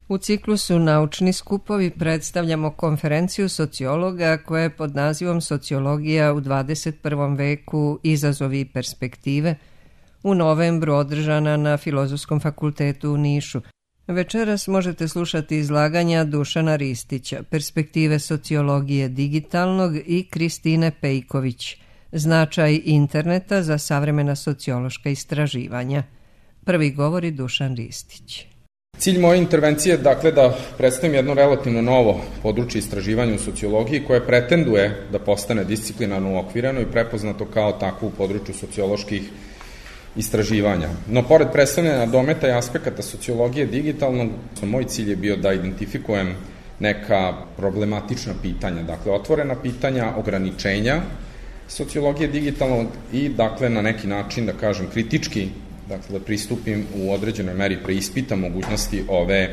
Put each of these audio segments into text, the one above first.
U ciklusu Naučni skupovi predstavljamo konferenciju sociologa koja je pod nazivom Sociologija u 21. veku, izazovi i perspektive, u novembru održana na Filozofskom fakultetu u Nišu. Večeras možete slušati izlaganja Dušana Ristića, Perspektive sociologije digitalnog i Kristine Pejković, Značaj interneta za savremena sociološka istraživanja. Prvi govori Dušan Ristić. Cilj moje intervencije je dakle da predstavim jedno relativno novo područje istraživanja u sociologiji koje pretenduje da postane disciplinarno uokvireno i prepoznato kao takvo u području socioloških istraživanja. No, pored predstavljanja dometa i aspekata sociologije digitalnog, moj cilj je bio da identifikujem neka problematična pitanja, dakle otvorena pitanja, ograničenja sociologije digitalnog i dakle na neki način, da kažem, kritički, dakle da pristupim u određenoj meri, preispitam mogućnosti ove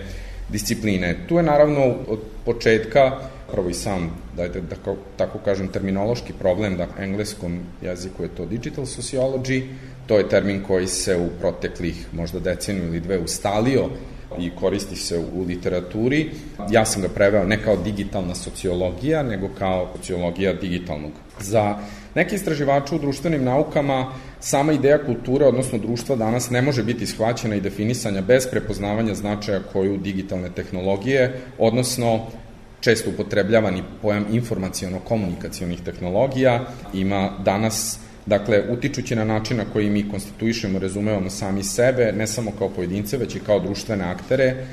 discipline. Tu je naravno od početka, prvo i sam, da tako kažem, terminološki problem, da u engleskom jeziku je to digital sociology, to je termin koji se u proteklih možda deceniju ili dve ustalio i koristi se u literaturi. Ja sam ga preveo ne kao digitalna sociologija, nego kao sociologija digitalnog. Za neke istraživače u društvenim naukama sama ideja kulture, odnosno društva danas ne može biti shvaćena i definisanja bez prepoznavanja značaja koju digitalne tehnologije, odnosno često upotrebljavani pojam informaciono-komunikacionih tehnologija ima danas, dakle, utičući na način na koji mi konstituišemo, razumevamo sami sebe, ne samo kao pojedince, već i kao društvene aktere,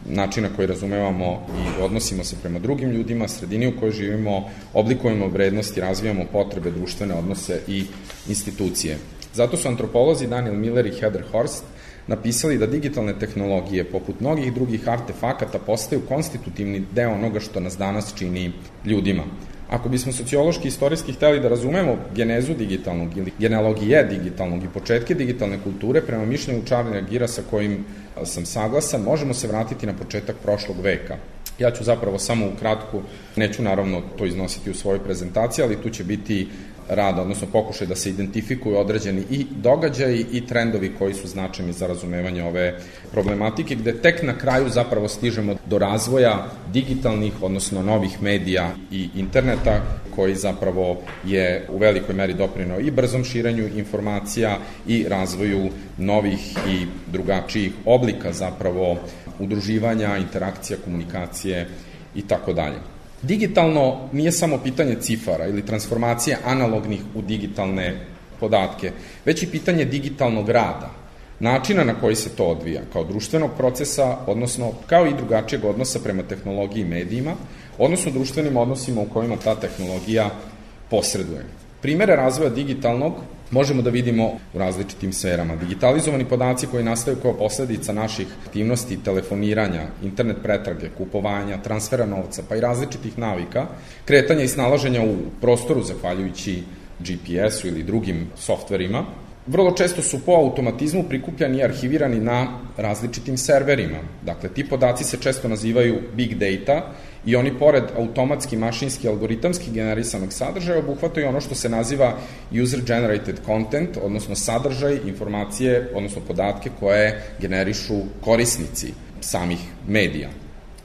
način na koji razumevamo i odnosimo se prema drugim ljudima, sredini u kojoj živimo, oblikujemo vrednosti, razvijamo potrebe, društvene odnose i institucije. Zato su antropolozi Daniel Miller i Heather Horst napisali da digitalne tehnologije, poput mnogih drugih artefakata, postaju konstitutivni deo onoga što nas danas čini ljudima. Ako bismo sociološki i istorijski hteli da razumemo genezu digitalnog ili genealogije digitalnog i početke digitalne kulture, prema mišljenju Charlesa Gira sa kojim sam saglasan, možemo se vratiti na početak prošlog veka. Ja ću zapravo samo ukratko, neću naravno to iznositi u svojoj prezentaciji, ali tu će biti rad, odnosno pokušaj da se identifikuju određeni i događaji i trendovi koji su značajni za razumevanje ove problematike, gde tek na kraju zapravo stižemo do razvoja digitalnih, odnosno novih medija i interneta, koji zapravo je u velikoj meri doprineo i brzom širenju informacija i razvoju novih i drugačijih oblika zapravo udruživanja, interakcija, komunikacije i tako dalje. Digitalno nije samo pitanje cifara ili transformacije analognih u digitalne podatke, već i pitanje digitalnog rada, načina na koji se to odvija, kao društvenog procesa, odnosno kao i drugačijeg odnosa prema tehnologiji i medijima, odnosno društvenim odnosima u kojima ta tehnologija posreduje. Primere razvoja digitalnog možemo da vidimo u različitim sferama. Digitalizovani podaci koji nastaju kao posledica naših aktivnosti, telefoniranja, internet pretrage, kupovanja, transfera novca, pa i različitih navika, kretanja i snalaženja u prostoru zahvaljujući GPS-u ili drugim softverima, vrlo često su po automatizmu prikupljani i arhivirani na različitim serverima. Dakle, ti podaci se često nazivaju big data i oni pored automatski, mašinski, algoritamski generisanog sadržaja obuhvataju ono što se naziva user-generated content, odnosno sadržaj, informacije, odnosno podatke koje generišu korisnici samih medija.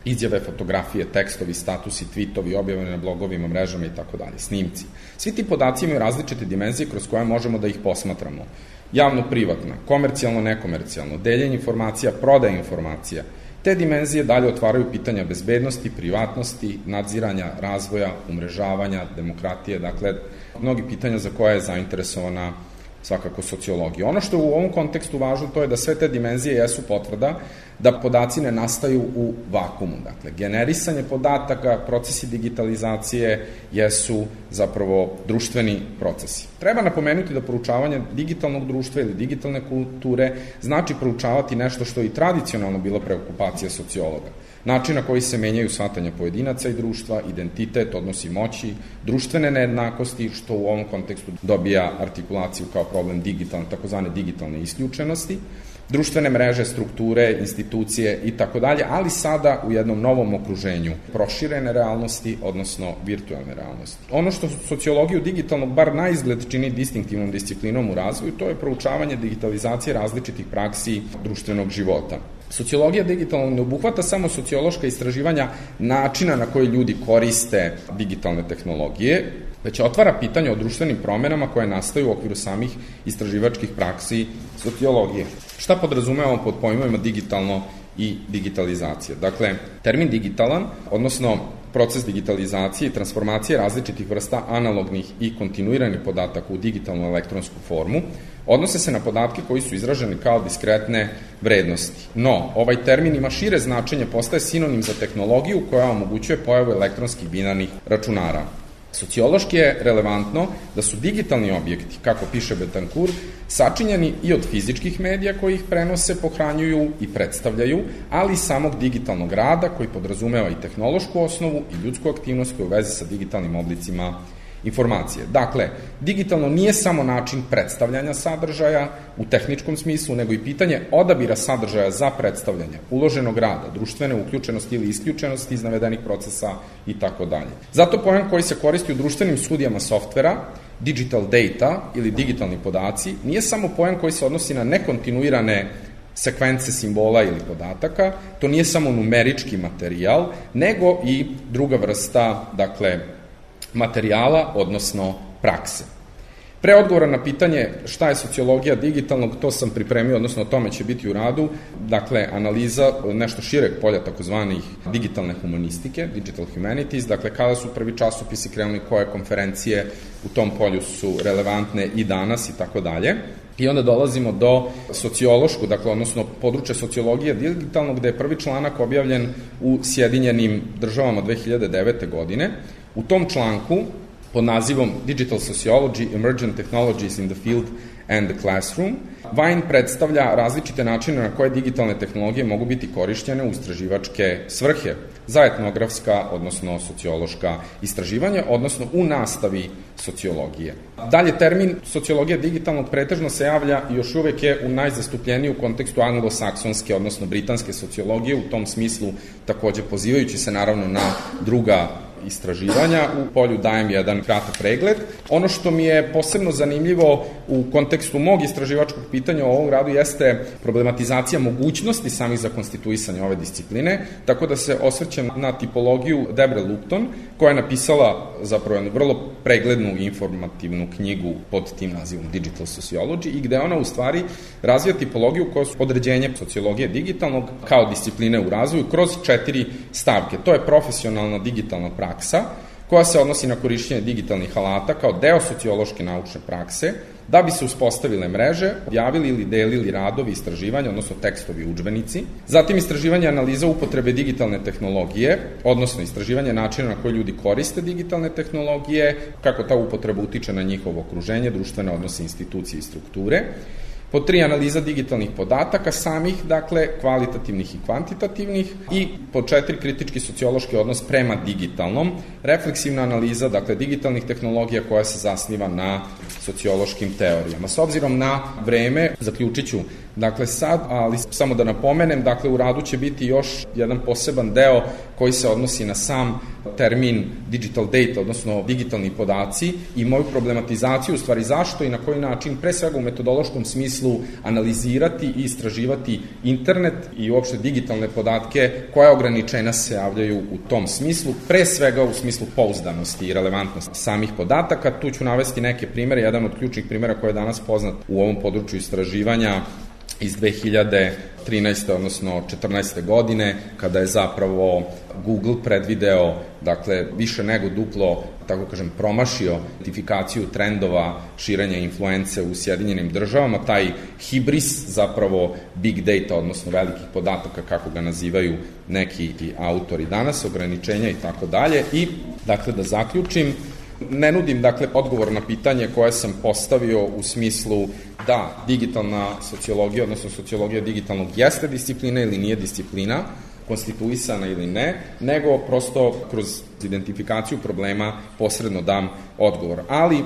Izjave, fotografije, tekstovi, statusi, tweetovi, objavljene na blogovima, mrežama i tako dalje, snimci. Svi ti podaci imaju različite dimenzije kroz koje možemo da ih posmatramo. Javno-privatna, komercijalno-nekomercijalno, deljenje informacija, prodaja informacija. Te dimenzije dalje otvaraju pitanja bezbednosti, privatnosti, nadziranja, razvoja, umrežavanja, demokratije, dakle, mnogi pitanja za koje je zainteresovana svakako sociologija. Ono što je u ovom kontekstu važno, to je da sve te dimenzije jesu potvrda da podaci ne nastaju u vakumu. Dakle, generisanje podataka, procesi digitalizacije jesu zapravo društveni procesi. Treba napomenuti da proučavanje digitalnog društva ili digitalne kulture znači proučavati nešto što je i tradicionalno bilo preokupacija sociologa. Način na koji se menjaju shvatanja pojedinaca i društva, identitet, odnosi moći, društvene nejednakosti, što u ovom kontekstu dobija artikulaciju kao problem takozvane digitalne isključenosti, društvene mreže, strukture, institucije i tako dalje, ali sada u jednom novom okruženju proširene realnosti, odnosno virtualne realnosti. Ono što sociologiju digitalnog bar na izgled čini distinktivnom disciplinom u razvoju, to je proučavanje digitalizacije različitih praksi društvenog života. Sociologija digitalnog ne obuhvata samo sociološka istraživanja načina na koji ljudi koriste digitalne tehnologije, već otvara pitanje o društvenim promenama koje nastaju u okviru samih istraživačkih praksi sociologije. Šta podrazumevamo pod pojmovima digitalno i digitalizacija? Dakle, termin digitalan, odnosno proces digitalizacije i transformacije različitih vrsta analognih i kontinuiranih podataka u digitalnu elektronsku formu, odnose se na podatke koji su izraženi kao diskretne vrednosti. No, ovaj termin ima šire značenje, postaje sinonim za tehnologiju koja omogućuje pojavu elektronskih binarnih računara. Sociološki je relevantno da su digitalni objekti, kako piše Betancourt, sačinjeni i od fizičkih medija koji ih prenose, pohranjuju i predstavljaju, ali i samog digitalnog rada koji podrazumeva i tehnološku osnovu i ljudsku aktivnost koja u vezi sa digitalnim oblicima informacije. Dakle, digitalno nije samo način predstavljanja sadržaja u tehničkom smislu, nego i pitanje odabira sadržaja za predstavljanje, uloženog rada, društvene uključenosti ili isključenosti iz navedenih procesa i tako dalje. Zato pojam koji se koristi u društvenim studijama softvera, digital data ili digitalni podaci, nije samo pojam koji se odnosi na nekontinuirane sekvence simbola ili podataka, to nije samo numerički materijal, nego i druga vrsta, dakle, materijala, odnosno prakse. Pre odgovora na pitanje šta je sociologija digitalnog, to sam pripremio, odnosno o tome će biti u radu, dakle, analiza nešto šireg polja takozvanih digitalne humanistike, digital humanities, dakle, kada su prvi časopisi krenuli, koje konferencije u tom polju su relevantne i danas i tako dalje. I onda dolazimo do sociološkog, dakle, odnosno područja sociologije digitalnog, gde je prvi članak objavljen u Sjedinjenim državama 2009. godine. U tom članku, pod nazivom Digital Sociology, Emergent Technologies in the Field and the Classroom, Vine predstavlja različite načine na koje digitalne tehnologije mogu biti korišćene u istraživačke svrhe za etnografska, odnosno sociološka istraživanja, odnosno u nastavi sociologije. Dalje, termin sociologija digitalnog pretežno se javlja i još uvek je u najzastupljeniji u kontekstu anglosaksonske, odnosno britanske sociologije, u tom smislu takođe pozivajući se naravno na druga istraživanja. U polju dajem jedan kratak pregled. Ono što mi je posebno zanimljivo u kontekstu mog istraživačkog pitanja o ovom radu jeste problematizacija mogućnosti samih za konstituisanje ove discipline, tako da se osvrćem na tipologiju Debre Lupton, koja je napisala zapravo jednu vrlo preglednu i informativnu knjigu pod tim nazivom Digital Sociology i gde ona u stvari razvija tipologiju koja su određenje sociologije digitalnog kao discipline u razvoju kroz 4 stavke. To je profesionalna digitalna praksa, koja se odnosi na korišćenje digitalnih alata kao deo sociološke naučne prakse, da bi se uspostavile mreže, objavili ili delili radovi istraživanja, odnosno tekstovi udžbenici. Zatim istraživanje analiza upotrebe digitalne tehnologije, odnosno istraživanje načina na koji ljudi koriste digitalne tehnologije, kako ta upotreba utiče na njihovo okruženje, društvene odnose, institucije i strukture. Pod 3, analiza digitalnih podataka samih, dakle, kvalitativnih i kvantitativnih. I pod 4, kritički sociološki odnos prema digitalnom. Refleksivna analiza, dakle, digitalnih tehnologija koja se zasniva na sociološkim teorijama. S obzirom na vreme, zaključit ću, dakle, sad, ali samo da napomenem, dakle, u radu će biti još jedan poseban deo koji se odnosi na sam termin digital data, odnosno digitalni podaci i moju problematizaciju, u stvari zašto i na koji način, pre svega u metodološkom smislu, analizirati i istraživati internet i uopšte digitalne podatke, koja ograničenja se javljaju u tom smislu, pre svega u smislu pouzdanosti i relevantnosti samih podataka. Tu ću navesti neke primere, jedan od ključnih primera koji je danas poznat u ovom području istraživanja iz 2013. odnosno 14. godine, kada je zapravo Google predvideo, dakle, više nego duplo, tako kažem, promašio identifikaciju trendova širenja influence u Sjedinjenim državama, taj hibris zapravo big data, odnosno velikih podataka, kako ga nazivaju neki autori danas, ograničenja i tako dalje. I, dakle, da zaključim, ne nudim, dakle, odgovor na pitanje koje sam postavio u smislu da digitalna sociologija, odnosno sociologija digitalnog jeste disciplina ili nije disciplina, konstituisana ili ne, nego prosto kroz identifikaciju problema posredno dam odgovor. Ali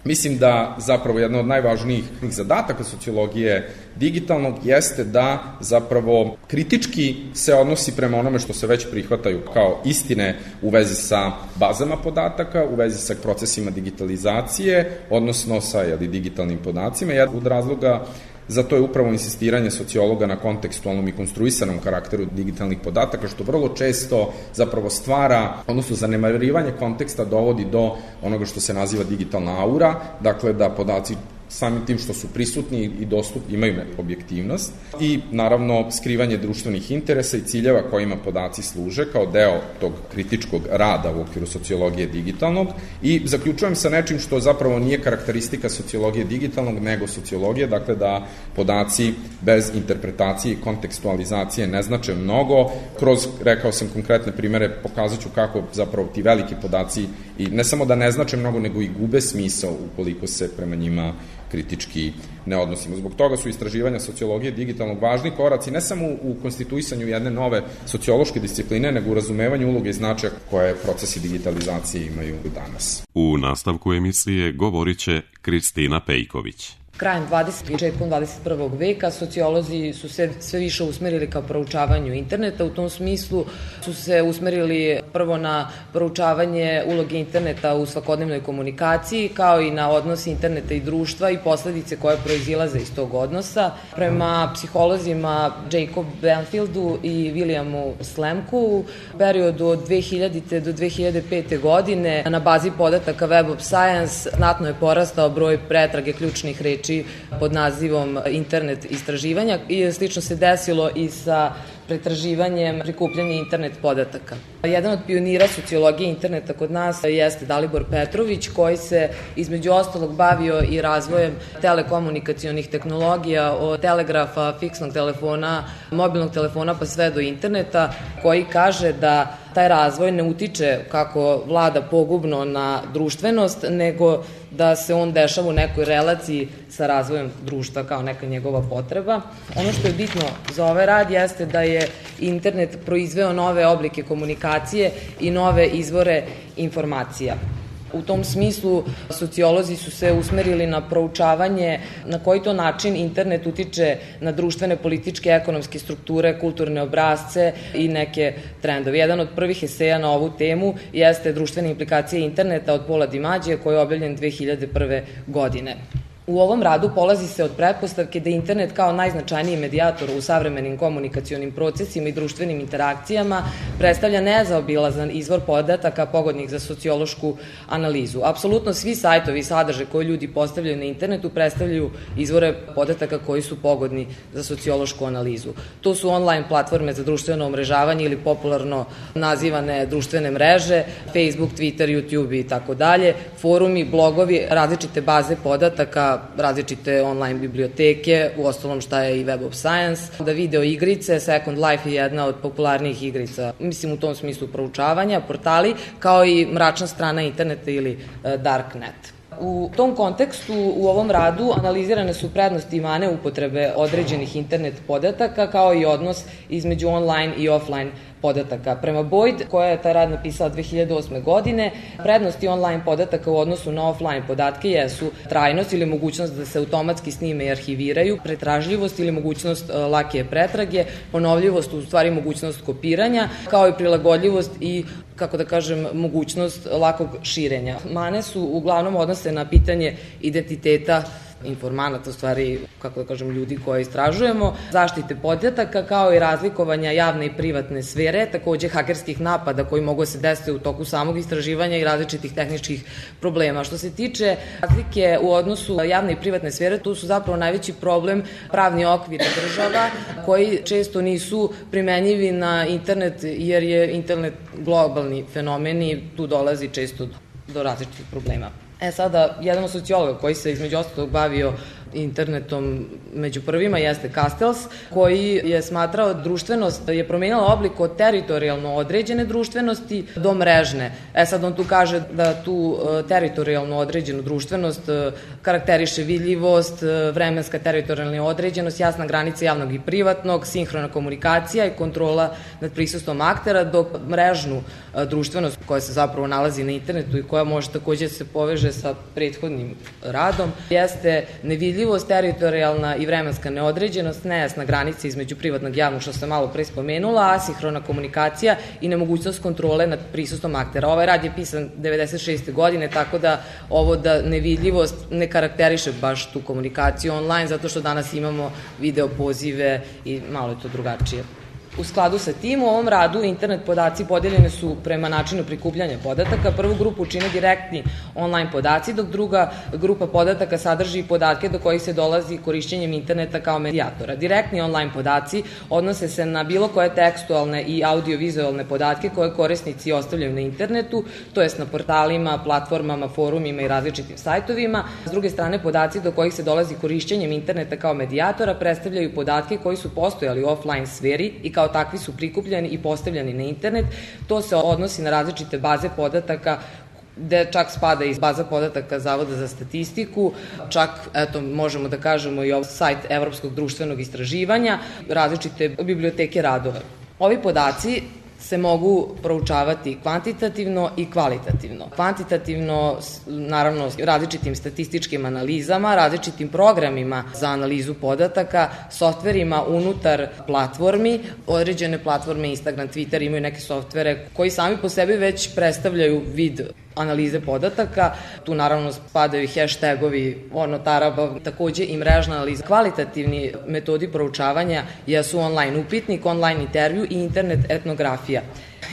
Mislim da zapravo jedna od najvažnijih zadataka sociologije digitalnog jeste da zapravo kritički se odnosi prema onome što se već prihvataju kao istine u vezi sa bazama podataka, u vezi sa procesima digitalizacije, odnosno sa digitalnim podacima. Jedan od razloga za to je upravo insistiranje sociologa na kontekstualnom i konstruisanom karakteru digitalnih podataka, što vrlo često zapravo stvara, odnosno zanemarivanje konteksta dovodi do onoga što se naziva digitalna aura, dakle da podaci samim tim što su prisutni i dostupni imaju objektivnost i naravno skrivanje društvenih interesa i ciljeva kojima podaci služe kao deo tog kritičkog rada u okviru sociologije digitalnog i zaključujem sa nečim što zapravo nije karakteristika sociologije digitalnog nego sociologije, dakle da podaci bez interpretacije i kontekstualizacije ne znače mnogo. Kroz, rekao sam, konkretne primere pokazat ću kako zapravo ti veliki podaci i ne samo da ne znače mnogo nego i gube smisao ukoliko se prema njima kritički ne odnosimo. Zbog toga su istraživanja sociologije digitalnog važni koraci ne samo u konstituisanju jedne nove sociološke discipline, nego u razumevanju uloge i značaja koje procesi digitalizacije imaju danas. U nastavku emisije govorit će Kristina Pejković. Krajem 20. i početkom 21. veka sociolozi su se sve više usmerili ka proučavanju interneta. U tom smislu su se usmerili prvo na proučavanje uloge interneta u svakodnevnoj komunikaciji, kao i na odnos interneta i društva i posledice koje proizilaze iz tog odnosa. Prema psiholozima Jacob Banfieldu i Williamu Slemku, u periodu od 2000. do 2005. godine na bazi podataka Web of Science znatno je porastao broj pretrage ključnih reči pod nazivom internet istraživanja i slično se desilo i sa pretraživanjem prikupljanja internet podataka. Jedan od pionira sociologije interneta kod nas jeste Dalibor Petrović, koji se između ostalog bavio i razvojem telekomunikacionih tehnologija, od telegrafa, fiksnog telefona, mobilnog telefona pa sve do interneta, koji kaže da taj razvoj ne utiče kako vlada pogubno na društvenost, nego da se on dešava u nekoj relaciji sa razvojem društva kao neka njegova potreba. Ono što je bitno za ovaj rad jeste da je internet proizveo nove oblike komunikacije i nove izvore informacija. U tom smislu sociolozi su se usmerili na proučavanje na koji to način internet utiče na društvene, političke, ekonomske strukture, kulturne obrazce i neke trendove. Jedan od prvih eseja na ovu temu jeste Društvene implikacije interneta od Paula Dimađija, koji je objavljen 2001. godine. U ovom radu polazi se od pretpostavke da internet kao najznačajniji medijator u savremenim komunikacionim procesima i društvenim interakcijama predstavlja nezaobilazan izvor podataka pogodnih za sociološku analizu. Apsolutno svi sajtovi i sadržaje koje ljudi postavljaju na internetu predstavljaju izvore podataka koji su pogodni za sociološku analizu. To su online platforme za društveno umrežavanje ili popularno nazivane društvene mreže, Facebook, Twitter, YouTube i tako dalje, forumi, blogovi, različite baze podataka, različite online biblioteke, u ostalom šta je i Web of Science, da video igrice, Second Life je jedna od popularnijih igrica, mislim u tom smislu proučavanja, portali, kao i mračna strana interneta ili Darknet. U tom kontekstu, u ovom radu, analizirane su prednosti i mane upotrebe određenih internet podataka, kao i odnos između online i offline podataka. Prema Boyd, koja je taj rad napisala 2008. godine, prednosti online podataka u odnosu na offline podatke jesu trajnost ili mogućnost da se automatski snime i arhiviraju, pretražljivost ili mogućnost lake pretrage, ponovljivost, u stvari mogućnost kopiranja, kao i prilagodljivost i, kako da kažem, mogućnost lakog širenja. Mane su uglavnom odnose na pitanje identiteta informanata, u stvari, kako da kažem, ljudi koje istražujemo, zaštite podataka, kao i razlikovanja javne i privatne sfere, takođe hakerskih napada koji mogu se desiti u toku samog istraživanja i različitih tehničkih problema. Što se tiče razlike u odnosu javne i privatne sfere, tu su zapravo najveći problem pravni okvir država koji često nisu primenjivi na internet jer je internet globalni fenomen i tu dolazi često do različitih problema. Sada, jedan od sociologa koji se između ostalog bavio internetom među prvima jeste Castells, koji je smatrao društvenost je promenila oblik od teritorijalno određene društvenosti do mrežne. Sad on tu kaže da tu teritorijalno određenu društvenost karakteriše vidljivost, vremenska teritorijalna određenost, jasna granica javnog i privatnog, sinhrona komunikacija i kontrola nad prisustvom aktera, dok mrežnu društvenost koja se zapravo nalazi na internetu i koja može takođe se poveže sa prethodnim radom, jeste nevidljivost, teritorijalna i vremenska neodređenost, nejasna granica između privatnog i javnog, što sam malo pre spomenula, asinhrona komunikacija i nemogućnost kontrole nad prisustvom aktera. Ovaj rad je pisan 96. godine, tako da ovo da nevidljivost ne karakteriše baš tu komunikaciju online, zato što danas imamo video pozive i malo je to drugačije. U skladu sa tim, u ovom radu internet podaci podeljene su prema načinu prikupljanja podataka. Prvu grupu čine direktni online podaci, dok druga grupa podataka sadrži podatke do kojih se dolazi korišćenjem interneta kao medijatora. Direktni online podaci odnose se na bilo koje tekstualne i audio-vizualne podatke koje korisnici ostavljaju na internetu, to jest na portalima, platformama, forumima i različitim sajtovima. S druge strane, podaci do kojih se dolazi korišćenjem interneta kao medijatora predstavljaju podatke koji su postojali u offline sferi i kao takvi su prikupljeni i postavljeni na internet. To se odnosi na različite baze podataka, gde čak spada iz baza podataka Zavoda za statistiku, čak, eto, možemo da kažemo i sajt Evropskog društvenog istraživanja, različite biblioteke radova. Ovi podaci se mogu proučavati kvantitativno i kvalitativno. Kvantitativno, naravno, različitim statističkim analizama, različitim programima za analizu podataka, softverima unutar platformi. Određene platforme, Instagram, Twitter imaju neke softvere koji sami po sebi već predstavljaju vid analize podataka. Tu naravno spadaju i hashtagovi, taraba, takođe i mrežna analiza. Kvalitativni metodi proučavanja jesu online upitnik, online intervju i internet etnografija.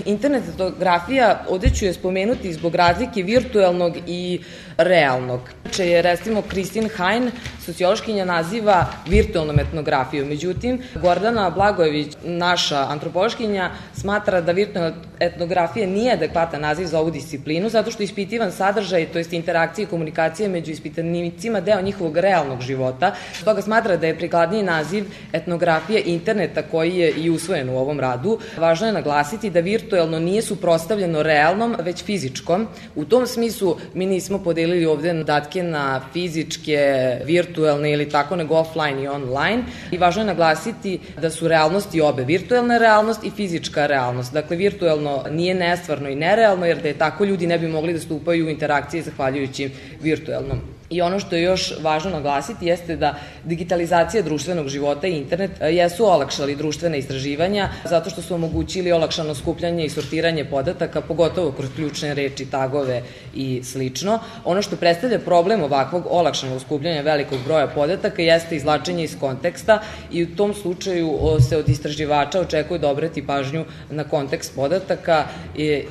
Internet etnografija, ovde ću je spomenuti zbog razlike virtuelnog i realnog. Je, recimo, Kristin Hajn, sociološkinja, naziva virtualnom etnografijom. Međutim, Gordana Blagojević, naša antropološkinja, smatra da virtualna etnografija nije adekvatan naziv za ovu disciplinu, zato što ispitivan sadržaj, to jest interakcije i komunikacije među ispitanicima, deo njihovog realnog života. Stoga smatra da je prikladniji naziv etnografija interneta, koji je i usvojen u ovom radu. Važno je naglasiti da virtualno nije suprotstavljeno realnom, već fizičkom. U tom smislu mi nismo podelili ovde podatke na fizičke, virtualne ili tako, nego offline i online. I važno je naglasiti da su realnosti obe, virtualna realnost i fizička realnost. Dakle, virtualno nije nestvarno i nerealno, jer da je tako, ljudi ne bi mogli da stupaju u interakcije zahvaljujući virtualnom. I ono što je još važno naglasiti jeste da digitalizacija društvenog života i internet jesu olakšali društvene istraživanja zato što su omogućili olakšano skupljanje i sortiranje podataka, pogotovo kroz ključne reči, tagove i slično. Ono što predstavlja problem ovakvog olakšanog skupljanja velikog broja podataka jeste izvlačenje iz konteksta i u tom slučaju se od istraživača očekuje da obrati pažnju na kontekst podataka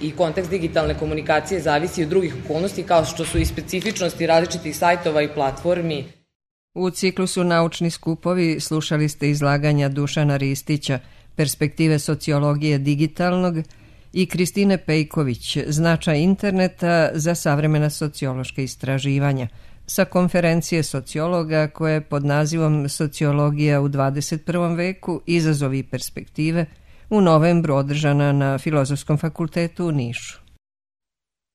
i kontekst digitalne komunikacije zavisi od drugih okolnosti kao što su i specifičnosti različitih sajtova i platformi. U ciklusu Naučni skupovi slušali ste izlaganja Dušana Ristića, Perspektive sociologije digitalnog, i Kristine Pejković, Značaj interneta za savremena sociološka istraživanja, sa konferencije sociologa koje je pod nazivom Sociologija u 21. veku, izazovi i perspektive, u novembru održana na Filozofskom fakultetu u Nišu.